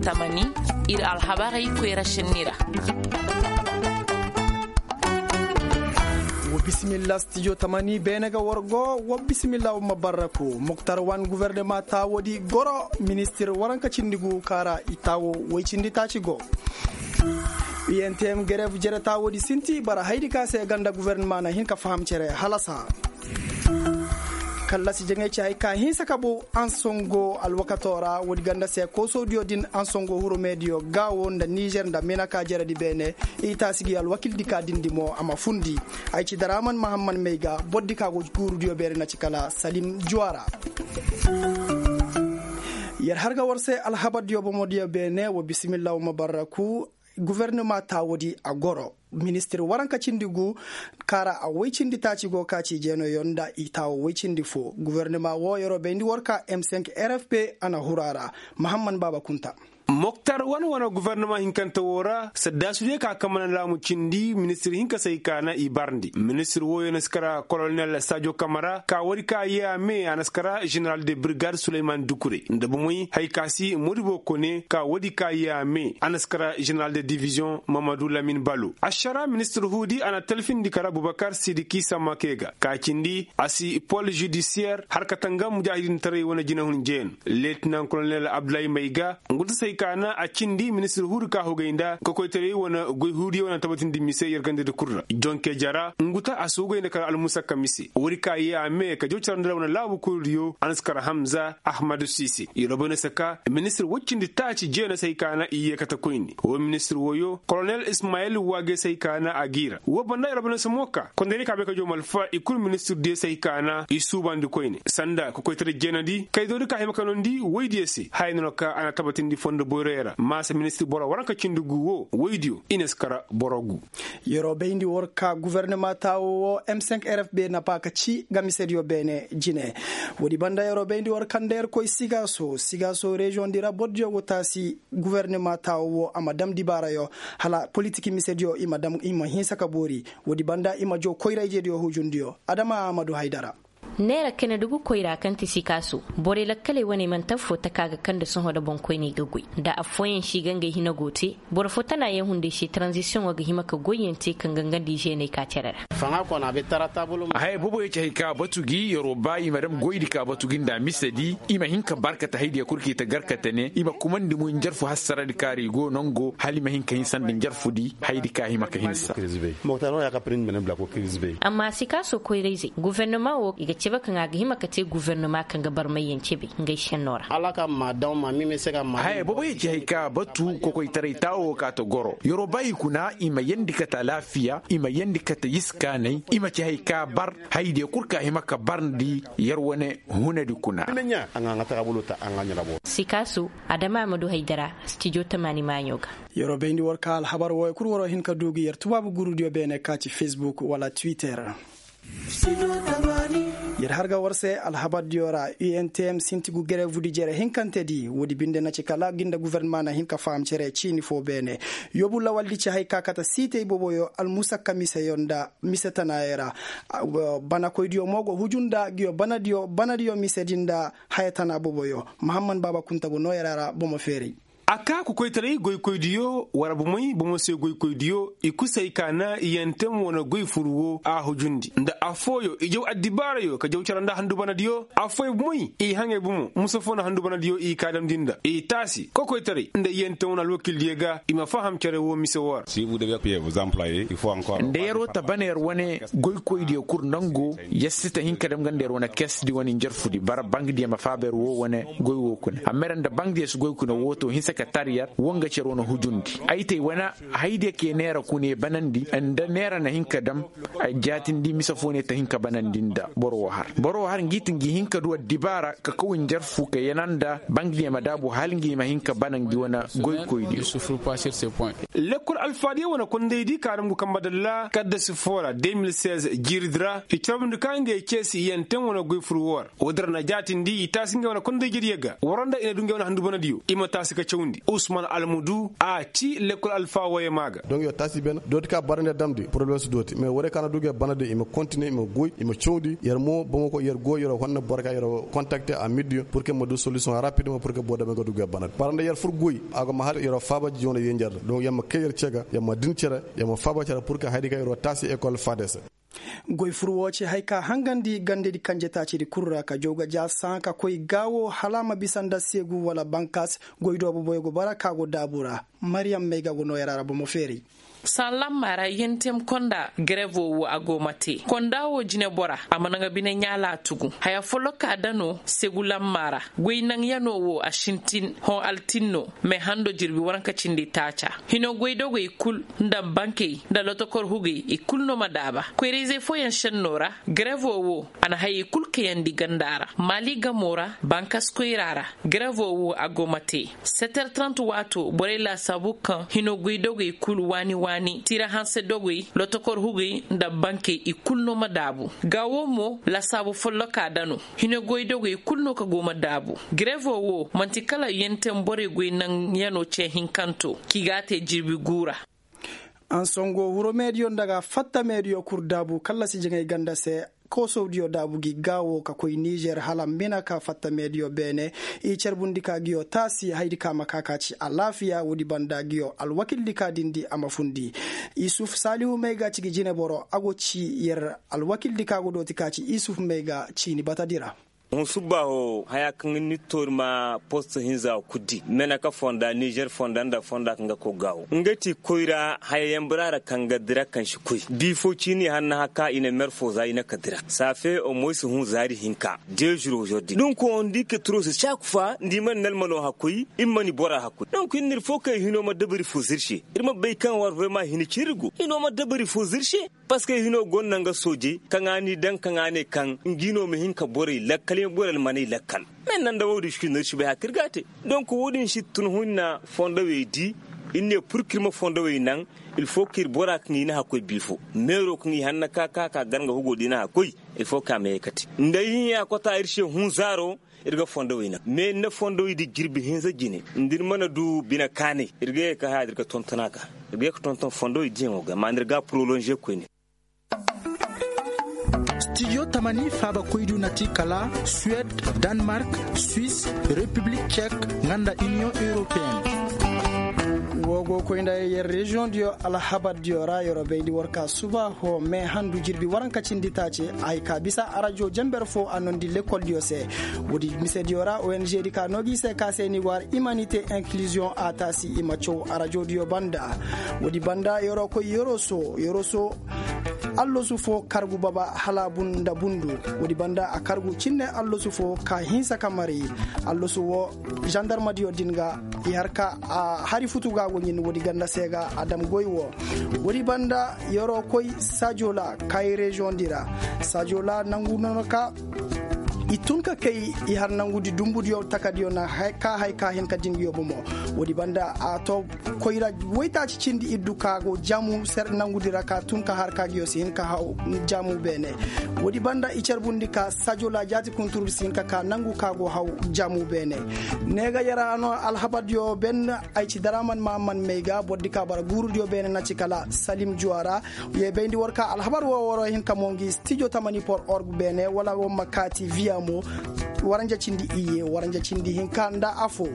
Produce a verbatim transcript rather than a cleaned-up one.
Tamani, ir alhabarey koyra sinni ra. Wa bisimilla stijo tamani beene ga war go. Wa bisimilla wa ma barraku muktar wan guvernema taawo di goro ministir waranka cindi gu kaara i taawo woy cindi taaci go. Iyenteyem gerev jere taawo di sinti bara haydi ka se ganda guvernema na hin ka faham cere halasa. Kallasi jaŋay ci hay ka hinsa ka bu ansongo alwakato ra woodi ganda se koosodiyo din ansongo hurumediyo gaawo nda nizer nda mina ka jeredi beene. I taasi gi alwakildi ka dindi mo a ma fundi. Ay ci daraman mahamman may ga bordi ka go guurudiyo beene na ci kala salim juwara. Yer har ga war se alhabardiyo bomodiyo beene wa bisimilla wa ma barraku. Guvernema taawodi a goro ministir waranka cindi gu kaara a woy cindi taaci go ka ci jeenoyo nda i taawo woy cindi fo guvernema wo yeroo bayndi war ka m cinq rfp a na huru a ra. Mahamman baaba kunta. Moktar wane wane guvernema hinkante wo ra saddaasudiyo ka kamana laamu cindi ministir hinka se ay ka na i barndi ministir wooyo na si kara kolonel sajo kamara ka woodi ka yee a me a na si kara general de brigade suleyman dukure nda bomey hay ka si modibo kone ka woodi ka yee a me a na si kara general de division mamadu lamin balo ašara ministir huudi a na talfindi kara bubakar sidiki samake ga ka cindi a si pol judisiyer har ka tanga mujahidintaray wane jinahun jeen. Letinan kolonel abdulahi may ga nguta se ay ka na a cindi ministir huudi ka hugay nda kokoytaray wane goy huudiyo wane tabatindi mise yer gandadi kul ra jonke jara nguta a si hugay nda kala almusakka mise woodi ka yee a me ka jaw cara nda wane laabu kurudiyo a na si kar hamza ahmadu sise yeroo bay na si ka ministir woy cindi taaci jeena se ay ka na i yee kate koyne woo ministir woyo kolonel ismayil waage se ay ka na a g'i ra woo banda yeroo bay na si mo ka kondaydiyo ka bay ka jaw malfa i kul ministirdiyo se ay ka na i suubandi koyne sanda kokoytaray jeenadi kaydoodi ka hima ka noondi woydiyo se haya no na ka a na tabatindi fondo boyroyo ra maasa ministir boro waranka cindi gu woo woydiyo i na si kar boro gu. Yeroo bayndi war ka guvernema taawo woo m cinq rfb na ba ka ci nga misediyo beene jine. Woodi banda yeroo bayndi war ka nda yer koy sigaaso sigaaso reziyoŋ di ra bordiyo go taasi guvernema taawo woo a ma dam dibaarayo hala politik misediyo i ma hinsa ka boori. Woodi banda i ma jaw koyra-ijediyo hujundiyo adama amadu haydara. Neera kene dugu koyra kaŋ ti sikaaso borey lakkaley wane manti affoo taka ga kaŋ nda sohõ nda boŋkoyney ga goy nda affooyaŋ si ga ngey hina go te. Boro fo tana yaŋ hunday se taranzisiyoŋo ga hima ka goyyaŋ te kaŋ ga nga nda i zeeney ka cere ra. Haya booboyaŋ ci hay ka batu gi yeroo ba i ma dam goydi ka batu gi nda misedi i ma hin ka barkate haydiya kul kaŋ i ta garkate ne i ma kumandi mo njarfu hassaradi kaara i go nango hala i ma hin ka hinsa nda njarfudi haydi ka hima ka hinsa. Amma sikaaso koyrayzey guvernoma wo i ga cabe kaŋ a ga hima ka te guvernoma kaŋ ga barmayyaŋ cabe ngey senno ra. Haya boobo ya ci hay ka batu kokoytaray taawo ka ta goro yeroo ba i kuna i ma yandi kate alaafiya i ma yandi kate iskaanay i ma ci hay ka bar haydiya kul ka hima ka barndi yer wane hunadi kuna. Sikaaso adama amadu haydara stijo tamaani maaɲo ga. Yeroo bayndi war ka alhabar wooyo kul waroo hin ka du gi yer tubaabu gurudiyo beene ka ci fesbuk wala twitter. Yer har ga war se alhabardiyo ra untm sinti gu gerevudi jere hinkantedi woodi binde na ci kala gi nda guvernema na hin ka faham cere ciini foo beene. Yobu lawaldi ci hay ka kate siitey booboyo almusakka miseyo nda mise tanaayo ra. Banakoydiyo mo go huju nda nguyo banadiyo banadiyo misedi nda haya tana booboyo. Mahamman baaba kunta go noo yer a ra bomo feeray. A ka kokoytaray goykoydiyo wara bomey bomo se goykoydiyo i kusay ka na iyantem wane goy furu wo a hujundi nda affooyo i jaw addibaarayo ka jaw cara nda handu banadiyo affooyo bomey i haŋay bomo musa fo na handu banadiyo i ka damndi nda i taasi kokoytaray nda iyantem wane alwakildiyo ga i ma faham care wo mise wo ra. Nda yer wo ta bana yer wane goykoydiyo kul nango yer si ta hin ka dam nga nda yer wane kesdi wane njarfudi bara baŋdiyo ma faaba yer wo wane goy wo kuna amma yer nda baŋdiyo si goy kuna wo to hinsa ka tar yer wo nga cere wane hujundi ay te ay wane haydiyo ka ye neera kuna ye banandi nda neera na hin ka dam jaatindi mise fo ne ta hin ka banandi nda boro wo har boro wo har ngi ti ngi hin ka du addibaara ka kaw njarfu ka yana nda baŋdiyo ma daabu hala ngi ma hin ka bana ngi wane goykoydiyo. Lekkol alfaadiyo wane kondaydi ka dam ngu kambe dalla kaddasi foo ra deux mille seize jiiridi ra i carbundi ka ngey ceesi iyanteŋ wane goy fur woo ra woodi ra na jaatindi i taasi ngey wane kondayjediyo ga wara nda i na du ngey wane handu banadiyo i ma taasi ka cawndi. Usman almudu a ci lekkol alfa woyey maa ga. Donk yer taasi beene dooti ka bara nda yer damndi poroblem si dooti mais warey ka na du ga yer bana din i ma kontine i ma goy i ma cawndi yer mo boŋo koy yer goy yer wo honna boro ka yer wo kontakte a middiyo pur ke ma du solisiyoŋ rapidement pur ke boro damey ga du ga yer bana din bara nda yer fur goy a go ma har yer wo faaba joona yenjer ra donk yer ma kay yer cee ga yer ma din cere yer ma faaba cere pur ke hayadi ka yer wo taasi ekol faade se. Goy fur woo ci haya ka hangandi gandedi kanjetaacidi kul ra ka jaw ga ja sãa ka koy gaawo hala a ma bisa nda seegu wala bankas. Goy doobu boyo go bara ka go daabu ra. Mariyam may ga go noo yer a ra bomo feeri. Sãa lamma ra yentem konda gerevo woo a go ma te konda woo jinebora a mana nga bine ɲaalaa tugu haya follokaa da no seegu lamma ra. Goy naŋyanoo woo a sintin hõ altin no. Mais hando jirbi waranka cindi taaca hino goydogoy kul nda bankey nda lotokor hugey i kul no ma daaba koyra-izey fooyaŋ šennoo ra. Gerevo woo a na hayey kul kayandi ganda ra maali gamoo ra bankas koyra ra. Gerevo woo a go ma te seter trant waatoo borey laasaabu kaŋ hino goydogoy kul waani waani tiira hanse dogoy lotokor hugey nda bankey i kul no ma daabu. Gaawo mo laasaabu follokaa da no hino goydogoy kul no ka go ma daabu. Gerevo woo man'ti kala yenteŋ borey goy naŋyanoo cee hinkanto k'i g'a te jirbi guu ra. Ansongo hurumeediyo nda ga fattameediyo kul daabu kallasi jaŋay ganda se. Koosowdiyo daabu gi gaawo ka koy nizer hala mbina ka fattameediyo beene. I carbundi ka ngiyo taasi hayadi ka ma ka ka ci alaafiya woodi banda ngiyo alwakildi ka dindi a ma fundi. Isuf saalihu may ga ci gi jineboro a go ci yer alwakildi ka go dooti ka ci isuf may ga ciini batadi ra. Hun subbaaho haya kaŋ ni toori ma post hinza kuddi meneka fonda nizer fonda nda fonda kaŋ ga koy gaawo nga ti koyra haya yambara ra kaŋ ga dira kaŋ si koy biifo ciini hanna haka i na mer fo za i na ka dira saafe omoysi hun zaari hinka. Dezuro zordi dunko ndi ka turo si caaku fa ndi man nalmano hakoy i ma ni bora hakoy dunko ir fo kay hino ma dabari fo zirse. Ir ma bay kaŋ war vrema hini ciri go hino ma dabari fo zirse. Paske hino gonna nga soojey kaŋ a ni daŋ kaŋ a ne kaŋ ngi no ma hin ka borey lakkal i ma borey almaney lakkal. Me nanda wo-din si no ir si bay haka ir ga a te. Donk wo-din si tun hunna fondowey di ir ne pur ka ir ma fondowey naŋ. Il fo ka ir bora kaŋ i na hakkoy biifo meero kaŋ i hanna ka ka ka gar nga hugo da i na hakkoy. Il fo ka a ma ye kate nda i hinya kota ir se hunzaaro. Ir ga fondowey naŋ mais ir na fondowey di jirbi hinza jine nda ir mana du bine kaanay. Ir ga ye ka haya da ir ga tonton a ga ir ga ye ka tonton fondowey diyaŋo ga amma nda ir ga a porolonze koyne. Stijo tamani faabakoydu na ti kala suwed, danmark, swis, repiblik cek, nga nda iniyoŋ europeyenne. Woo go koy nda yer reziyoŋ diyo alhabar diyo ra yer wo bayndi war ka suba hoo me handu jirbi waranka cindi taace. Ay ka bisa arajo jenber foo a nondi lekoldiyo se. Woodi misediyo ra ong di ka noo gi se ka se ni war imanite inkiliziyoŋ a taasi i ma caw arajodiyo banda. Woodi banda yeroo koy yeroo soo yeroo soo. Allosu foo kargu baba hala a bun nda bundu. Woodi banda a kargu cinne allosu foo ka hinsa ka mari. Allosu woo zandarmadiyo din ga i har ka a hari futu ga a go ɲin woodi ganda se ga a dam goy woo. Woodi banda yeroo koy sajola kaayi reziyoŋ di ra. Sajola nangu nono ka i tun ka kay i har nangudi dumbudiyo takadiyo na ka hay ka hin ka dingiyo bomo. Woodi banda a to koyra woytaaci cindi iddu ka go jamu ser nangudi ra ka tun ka har ka giyo si hin ka haw jamu beene. Woodi banda i carbundi ka sajola jaati kunturudi si hin ka ka nangu ka go haw jamu beene. Ne ga yara no alhabardiyo ben ay ci daraman mahamman may ga bordi ka bara guurudiyo beene na ci kala salim juwara. Ye bayndi war ka alhabar wo woro hin ka mo ngi stijo tamani por org beene wala wo ma kaati viya mo. Waranja cindi iye waranja cindi hinka nda afo.